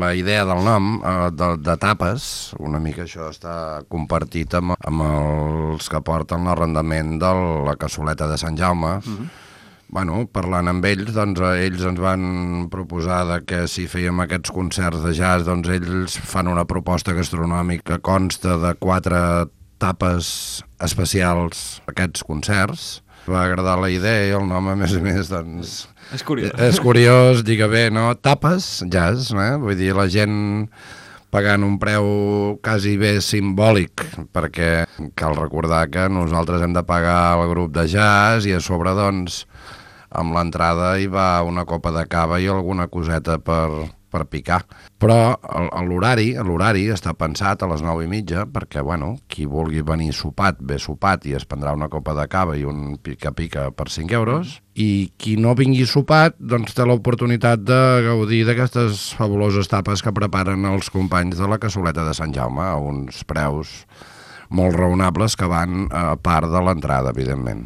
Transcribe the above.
la idea del nom, de tapes, una mica això està compartit amb els que porten l'arrendament de la cassoleta de Sant Jaume. Bueno, parlant amb ells, doncs ells ens van proposar que si fèiem aquests concerts de jazz, doncs ells fan una proposta gastronòmica que consta de 4 tapes especials a aquests concerts. Va agradar la idea i el nom, a més, doncs... És curiós. És curiós, digue bé, no? Tapes, jazz, vull dir, la gent pagant un preu quasi bé simbòlic, perquè cal recordar que nosaltres hem de pagar el grup de jazz i a sobre, doncs, amb l'entrada hi va una copa de cava i alguna coseta per picar. Però l'horari està pensat a les 9:30 perquè, bueno, qui vulgui venir sopat, ve sopat i es prendrà una copa de cava i un pica-pica per 5 euros. I qui no vingui sopat, doncs té l'oportunitat de gaudir d'aquestes fabuloses tapes que preparen els companys de la cassoleta de Sant Jaume a uns preus molt raonables que van a part de l'entrada, evidentment.